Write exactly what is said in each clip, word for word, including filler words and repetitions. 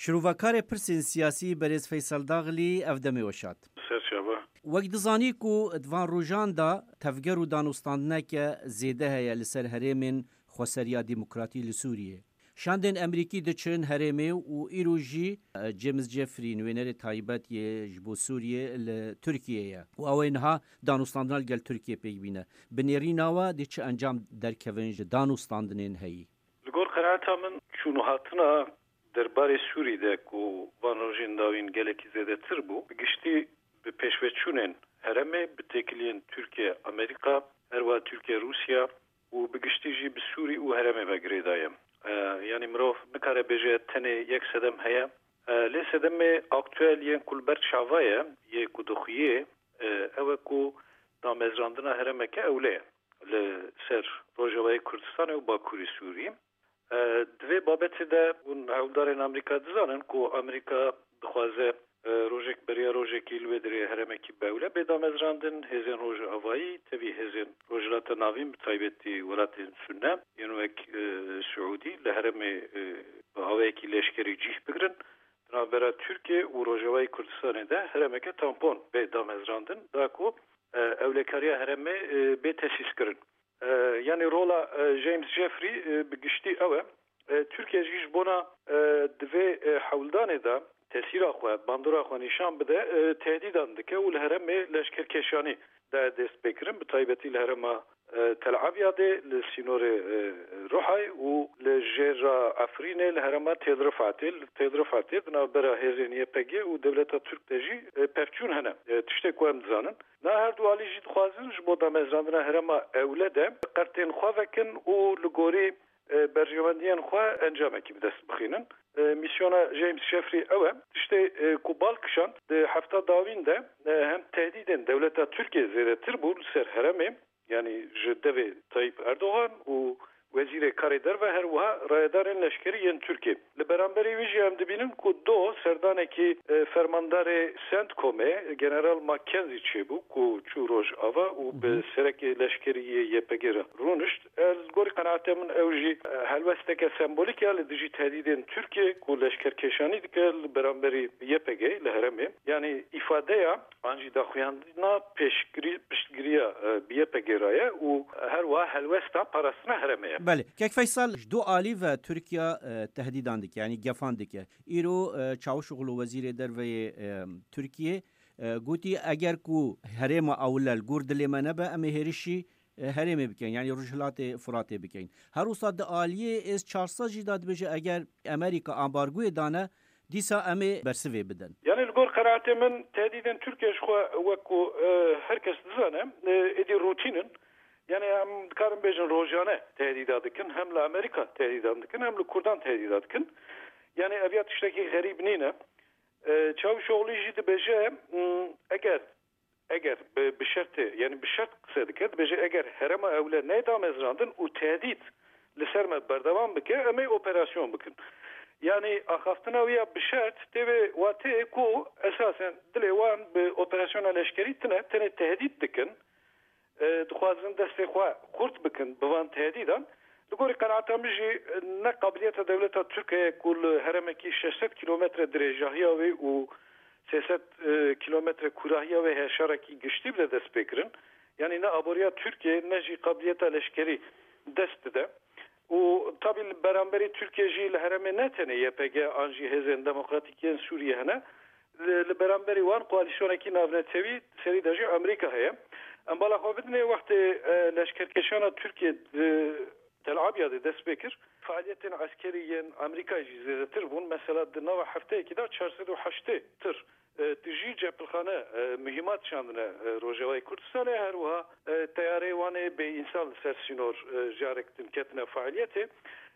Şirovakarê pirsên siyasî berêz Feysel Daxilî ev demê weşat. Ser çava. Wek dizanî ku di van rojan de tevger û danûstandineke zêde heye li ser herêmên xweseriya demokratî li Sûriyê. Şandên Emerîkî diçin herêmê û îro jî, e, James Jeffrey, nûênerê taybet yê ji bo Sûriyê li Tirkiyê ye û ew ê niha danûstandina li gel Tirkiyê pêk bîne. Bi nêrîna we dê çi encam derkevin ji danûstandinên heyî? Li gor qenaeta min, çûn û hatina derbarê Sûrî de ku van rojên dawîn gelekî zêdetir bû, bi giştî bi pêşveçûnên herêmê, bi têkiliyên Tirkiye, Amerîka, her wiha Tirkiye, Rûsya û bi giştî jî bi Sûrî û herêmê ve girêdaye. E, yanî mirov nikare bêje tenê yek sedem heye. E, lê sedemê aktuel yên ku li ber çava ye, yê ku dixuyê, e, ew e ku damezrandina herêmeke ewle ye li ser Rojavayê Kurdistanê û Bakurê Sûrî. E, di vê babetê de hûn hewldarên Amerîka dizanin ku Amerîka dixwaze, e, rojek beriya rojekî li wê derê herêmekî bi ewle bê damezrandin. Hêzên Rojavayî, tevî hêzên Rojhilata Navîn, bi taybetî welatên Sunne, yên wek, e, Siûdî, li herêmê, e, bi awayekî leşkerî cîh bigirin. Di navbera Tirkiye û Rojavayê Kurdistanê de herêmeke tampon bê damezrandin, da ku, e, ewlekariya herêmê, e, bê tesîskirin. E, yanî rola, e, James Jeffrey, e, bi giştî ew e. E, Tirkiye jî ji bona, e, di vê, e, hewldanê de tesîra xwe, bandora xwe nîşan bide, e, tehdîdan dike û li herêmê leşkerkêşanî daye destpêkirin, bi taybetî li herêma, e, Tel Abyadê, li sînorê, e, Ruhay û li jêra Efrînê, li herêma Têl Rifatê. Li Têl Rifatê di navbera hêzên Y P G û dewleta Tirk de jî, e, pevçûn hene. E, tiştê ku em dizanin. Na her du alî jî dixwazin ji bo damezrandina herêma ewle de qertên xwe vekin û li gorî, e, berjewendiyên xwe encamekî bi dest bixînin. E, mîsyona James Jeffrey ew e. Tiştê, e, ku bal kişand di hefta dawîn de, e, hem tehdîdên dewleta Tirkiyê zêdetir bû li ser herêmê, yanî ji devê Tayyip Erdogan û Wezîrê Karê Derve, her wiha rayedarên leşkerî yên Tirkiyê. Li beramberî wî jî em dibînin ku do serdanekî, e, fermandarê CENTCOMê, General McKenzie çêbû ku çû Rojava û bi Hı hı. serekê leşkerî yê Y P G re rûnişt. E, li gorî qenaetê min ew jî, e, helwesteke sembolîk ya li dijî tehdîdên Tirkiyê ku leşkerkêşanî dike li beramberî Y P G li herêmê. Yanî îfadeya an jî daxuyandina pêşgirî-, piştgiriya, e, bi Y P G re ye û her wiha helwesta parastina herêmê ye. Belê. Kek Feysel, ji du alî ve Tirkiye, e, tehdîdan dike, yanî gefan dike. Îro, e, Çavuşoglu Wezîrê Derve yê, e, Tirkiyê, e, gotî, eger ku herêma ewle li gor dilê me nebe, em ê hêrişî, e, herêmê bikin, yanî Rojhilatê Firatê bikin. Her wisa di aliyê S çar sed jî de dibêje, eger Amerîka ambargoyê dane, dîsa em ê bersivê bidin. Yanî li gor qenaetê min tehdîdên Tirkiye ji xwe wek ku, e, her kes dizane, e, êdî rûtîn in. Yanî em dikarin bêjin rojane tehdîda dikin. Hem li Amerîka tehdîdan dikin, hem li Kurdan tehdîda dikin. Yanî ev ya tiştekî xerîb nîne. E, Çavuşoglu jî dibêje, m, eger, eger bi, bi şertê, yanî bi şert qise dike, dibêje, eger herêma ewle neyê damezrandin û tehdît li ser me berdewam bike, em ê operasyon bikin. Yanî axaftina wî ya bi şert tê vê wateyê ku esasen dilê wan bi operasyona leşkerî tine, tenê tehdît dikin. E, dixwazin destê xwe xurt bikin bi van tehdîdan. Li gorî qenaeta min jî, e, ne qabiliyeta dewleta Tirk heye ku li herêmekî şeş sed kîlometre dirêjahiya wê û sê sed, e, kîlometre kûrahiya wê heye şerekî giştî bide destpêkirin. Yanî ne aboriya Tirkiyê ne jî qabiliyeta leşkerî dest dide. Û tabî li beramberî Tirkiye jî li herêmê ne tenê Y P G an jî hêzên demokratîk yên Sûriyê hene. Li, li beramberî wan koalîsyonekî navnetewî serî de jî Amerîka heye. Em bala xwe bidinê wextê, e, leşkerkêşana Tirkiye di Tel Abyadê dest pê kir, faaliyetên eskerî yên Amerîkayê jî zêdetir bûn. Mesela di nava hefteyekî de çar sed û heştê tir, e, tijî cepilxane, e, muhîmat şandine, e, Rojavayê Kurdistanê. Her wiha, e, teyareyê wan ê bêînsan li ser sînor, e, carek din ketine faaliyetê.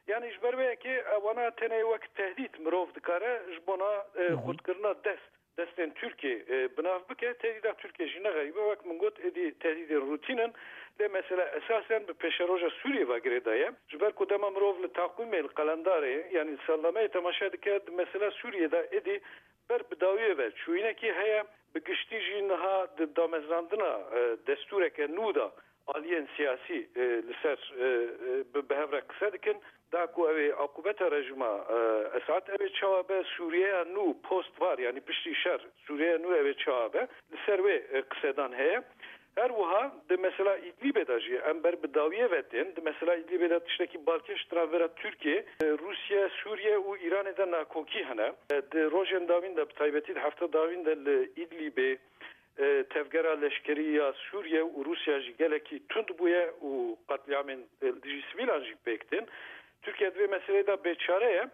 Yanî ji ber wê yekê, e, wana tenê wek tehdît mirov dikare ji bona, e, Hı hı. xurtkirina dest, destên Tirkiyê, e, bi nav bike. Tehdîda Tirkiyê jî ne xerîb e. Wek min got, êdî tehdîdên rûtîn in. Lê mesela esasen bi pêşeroja Sûriyê ve girêdaye. Ji ber ku dema mirov li taqwîmê, li qelendarê, yanî li salnameyê temaşe dike, di mesela Sûriyê de êdî ber bi dawiyê ve çûyînekî heye. Bi giştî jî niha di damezrandina, e, destûreke nû de aliyên siyasî, e, li ser, e, e, bi, bi hev re qise dikin. Da ku ew ê aqûbeta rejîma, e, Esad ew ê çawa be, Sûriyeya nû post var, yanî piştî şer, Sûriyeya nû ew ê çawa be, li ser wê, e, qisedan heye. Her wiha di mesela Îdlîbê de jî em ber bi dawiyê ve tên. Di mesela Îdlîbê de tiştekî balkêş di navbera Tirkiye, e, Rûsya, Sûriye û Îranê de nakokî hene. E, di rojên dawîn de, bi taybetî di hefta dawîn de li Îdlîbê, e, tevgera leşkerî ya Sûriye û Rûsya jî gelekî tund bûye û qetlîamên, e, li dijî sivîlan jî pêk tên. Tirkiye di vê meseleyê de bêçare ye.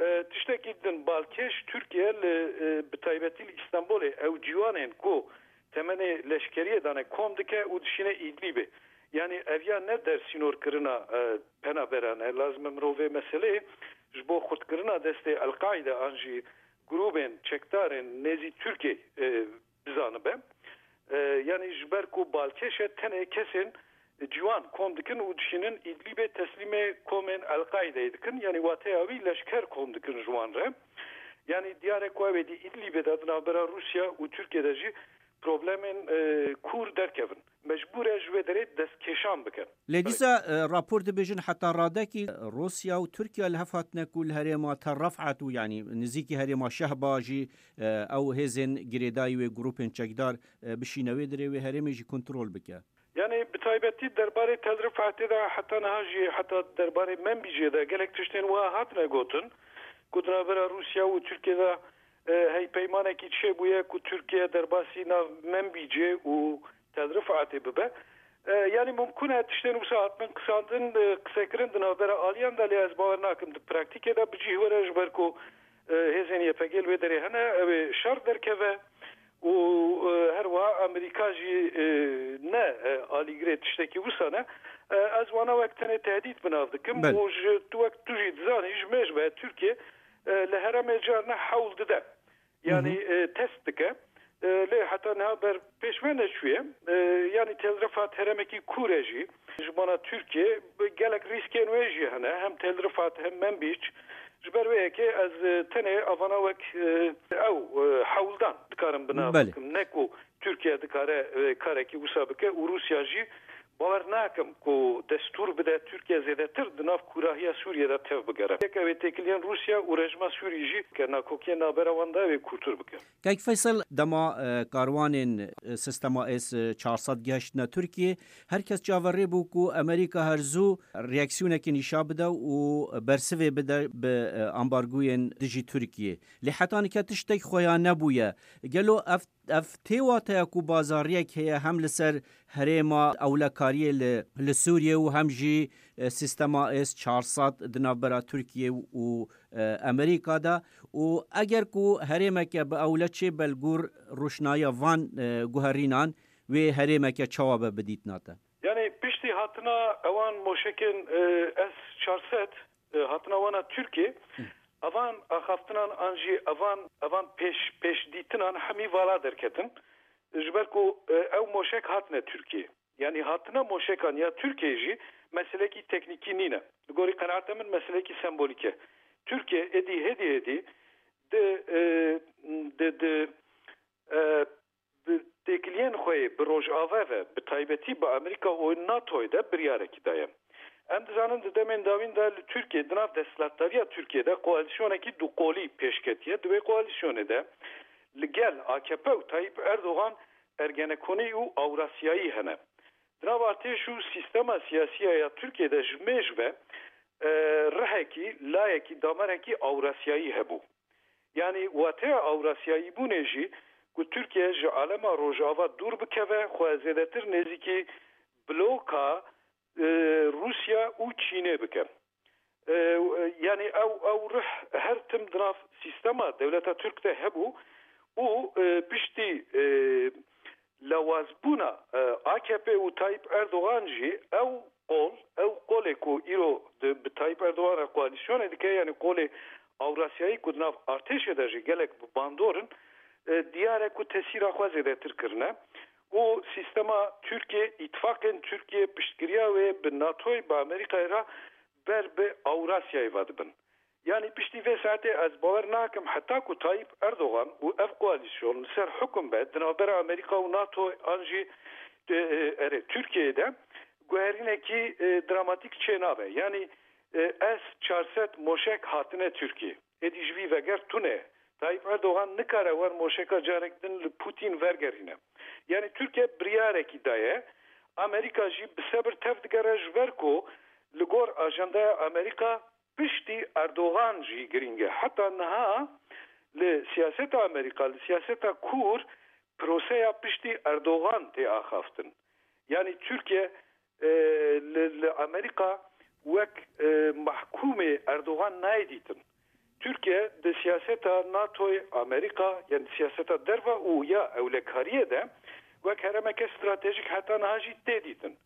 E, tiştekî din balkêş Tirkiye li, e, bi taybetî li Îstanbulê ew ciwanên ku temenê leşkeriyê dane kom dike û dişîne Îdlîbê. Yanî ev ya ne dersînorkirina, e, penaberan e. Lazim e mirov vê meseleyê ji bo xurtkirina destê El-Qaîde an jî grûbên çekdarên nêzî Tirkiyê, e, bizanibe. E, yanî ji ber ku balkêş e, tenê kesên ciwan kom dikin û dişînin Îdlîbê teslîmê komên El-Qaîdeyê dikin. Yanî wateya wî leşker kom dikin ji wan re. Yanî diyar e ku ew êdî Îdlîbê de di navbera Rûsya û Tirkiye de jî problemên, e, kûr derkevin. Mecbûr e ji wê derê destkêşan bike. Lê dîsa, e, rapor dibêjin heta radekî Rûsya û Tirkiye li hev hatine ku li herêma Tel Refat û, yanî nizîkî herêma Şehba jî, e, ew hêzên girêdayî wê grûpên çekdar, e, bişîne wê derê, wê herêmê jî kontrol bike. Yanî bi taybetî derbarê Tel Rifatê de heta niha jî, heta derbarê Menbîcê de gelek tiştên wiha hatine gotin ku di navbera Rûsya û Tirkiye de, e, heypeymanekî çêbûye ku Tirkiye derbasî nav Menbîcê û Tel Rifatê bibe. E, yanî mumkun e tiştên wisa hatibin qisandin, e, qisekirin di navbera aliyan de, lê ez bawer nakim di praktîkê de bi cih were, ji ber ku, e, hêzên Y P G li wê derê hene, ew ê şer derkeve. Û, e, her wiha Amerîka jî, e, ne, e, alîgirê tiştekî wisa ne. E, ez wana wek tenê tehdît bi nav dikim Belê. Û ji tu wek tu jî dizanî ji mêj ve Tirkiye, e, li herêmê carna hewl dide. Yanî, Hı hı. e, test dike. E, lê heta niha ber pêş ve neçûye. E, yanî Tel Rifat herêmekî kûr e jî. Ji bona Tirkiye gelek rîskên wê jî hene. Hem Tel Rifat hem Menbîc. Ji ber wê yekê ez, e, tenê avana wek, e, ew, e, hewldan dikarim bi nav Belê. bikim. Ne ku Tirkiye dikare, e, karekî wisa bike û Rûsya jî bawer nakim ku destûr bide Tirkiye zêdetir di nav kûrahiya Sûriye de tev bigere. Yek ew ê têkiliyên Rûsya û rejîma Sûrî jî ke nakokiyên navbera wan de ew ê kûrtir bike. Kek Feysel, dema, e, karwanên, e, sistema S çar sed gihiştine Tirkiye, her kes çaverê bû ku Amerîka her zû reaksiyonekê nîşa bide û bersivê bide bi, e, ambargoyên dijî Tirkiye. Lê heta nike tiştek xuya nebûye. Gelo ev, ev tê wateya ku bazariyek heye hem li ser herêma ewlekariyê li, li Sûriye û hem jî, e, sistema S çar sed di navbera Tirkiye û, e, Amerîka de û eger ku herêmeke bi ewle çê be li gor roşnayiya van, e, guherînan wê herêmeke çawa be bi dîtina te? Yanî piştî hatina ewan moşekên, e, S çar sed, e, hatina wana Tirkiye, Hı. evan axaftinan an jî evan, evan pêş, pêşdîtinan hemî vala derketin. Ji ber ku, e, ew moşek hatine Tirkiye. Yanî hatina moşekan ya Tirkiye jî meselekî teknîkî nîne. Li gorî qenaeta min meselekî sembolîk e. Tirkiye êdî hêdî hêdî di, e, di, di, e, bi têkiliyên xwe yê bi Rojava ve, bi taybetî bi Amerîka û NATOyê de biryarekî daye. Em dizanin di demên dawîn de li Tirkiye, di nav desthilatdariya Tirkiye de koalîsyonekî duqolî pêş ketiye. Di wê koalîsyonê de li gel A K P û Tayyip Erdogan Ergenekonî û Awrasyayî hene. Di nav artêş û sîstema siyasî ya Tirkiye de ji mêj ve, e, rihekî, layekî, damerekî Awrasyayî hebû. Yanî wateya Awrasyayîbûnê jî ku Tirkiye ji alema Rojava dûr bikeve, xwe zêdetir nêzîkî bloka, e, Rûsya û Çînê bike. E, yanî ew, ew rih her tim di nav sîstema dewleta Tirk de hebû û, e, piştî, e, lawazbûna, e, A K P û Tayyip Erdogan jî ew qol, ew qolê ku îro di, bi Tayyip Erdogan re koalîsyonê dike, yanî qolê Awrasyayî ku di nav artêşê de jî gelek bi bandor in, e, diyar e ku tesîra xwe zêdetir kirine û sîstema Tirkiye, îtifaqên Tirkiye, piştgiriya wê bi NATOyê, bi Amerîkayê re ber bi Awrasyayê ve dibin. Yanî piştî vê saetê ez bawer nakim heta ku Tayyip Erdogan û ev koalîsyon li ser hukum be, di navbera Amerîka û NATO an jî, e, e, erê, Tirkiyeyê de guherînekî, e, dramatîk çênabe. Yanî E, S çar sed moşek hatine Tirkiyê. Êdî ji vî veger tune. Tayyip Erdogan nikare wer moşeka carek din li Putin vergerîne. Yani Tirkiye biryarekî daye. Amerîka jî bi sebir tev digere ji ber ku li gor ajandaya Amerîka piştî Erdogan jî girîng e. Heta niha li siyaseta Amerîka, li siyaseta kûr proseya piştî Erdogan tê axaftin. Yani Tirkiye, e, li, li Amerîka wek, e, mahkûmê Erdogan nayê dîtin. Tirkiye di siyaseta NATOyê, Amerîka, yani siyaseta derve û ya ewlekariyê de wek heremeke stratejik heta niha jî tê dîtin.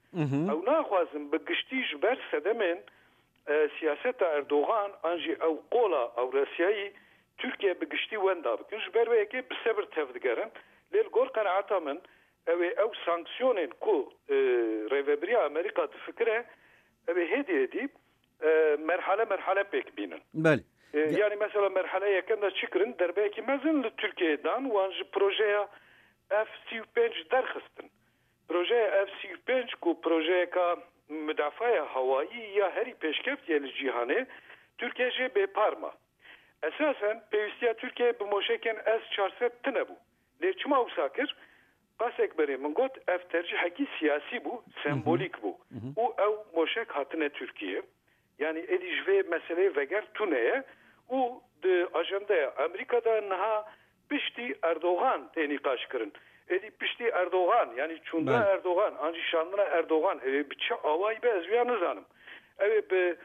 Ew naxwazin bi giştî ji ber sedemên, e, siyaseta Erdogan an jî ew qola Ewrasiyayî Tirkiye bi giştî wenda bikin. Ji ber wê yekê bi sebir tev digerin. Lê li gor qenaeta min, ew ê ew sanksiyonên ku, e, rêvebiriya Amerîka difikire, ew ê hêdî hêdî, e, merhale merhale pêk bînin. Belê. E, Ya- yani mesela merhale yekem de çi kirin? Derbeyekî mezin li Tirkiyeyê dan, wan ji projeya F sî û pênc derxistin. Projeya F sî û pênc ku projeyeka midafaya hawayî ya herî pêşkevtî ye li cîhanê, Tirkiye jê bêpar ma. Esasen pêwîstiya Tirkiyeyê bi moşekên S çar sed tune bû. Lê çima wisa kir? Qasek berê min got, ev tercihekî siyasî bû, sembolîk bû. Û ew moşek hatine Tirkiyeyê. Yani êdî ji vê meseleyê veger tune ye û di ajandaya Amerîka de niha piştî Erdogan tê nîqaş kirin. Êdî piştî Erdogan, yani çûndina Belê. Erdogan, an jî şandina Erdogan, ew ê bi çi awayî be, ez vêya nizanim. Ew ê bi,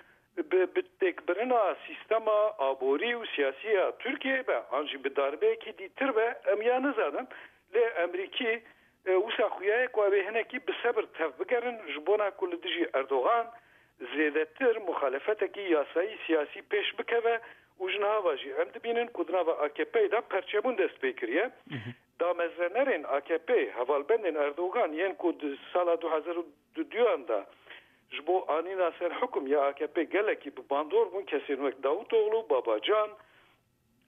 bi, bi têkbirina sîstema aborî û siyasî ya Tirkiyeyê be, an jî bi darbeyekî dîtir be, em ya nizanin. Lê Emerîkî, e, wisa xuya ye ku ew ê hinekî bi sebir tev bigerin, ji bona ku li dijî Erdogan zêdetir muxalefetekî yasayî siyasî pêş bikeve û ji niha ve jî em dibînin ku di nava A K P'yê de perçebûn dest pê kiriye. Damezrenerên A K P, hevalbendên Erdogan yên ku di sala du hezar û duduyan de ji bo anîna ser hukum ya A K P gelekî bi bandor bûn, kesên wek Davutoglu, Babacan,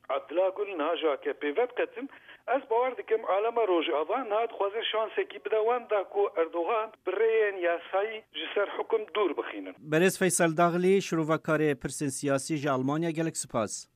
Abdullah Gül niha ji A K P vediqetin. Ez bawer dikim alema Rojava niha dixwaze şansekî bide wan da ku Erdogan bi rêyên yasayî ji ser hukum dûr bixînin. Berêz Feysel Daxlî, şirovekarê pirsên siyasî ji Almanya, gelek spas.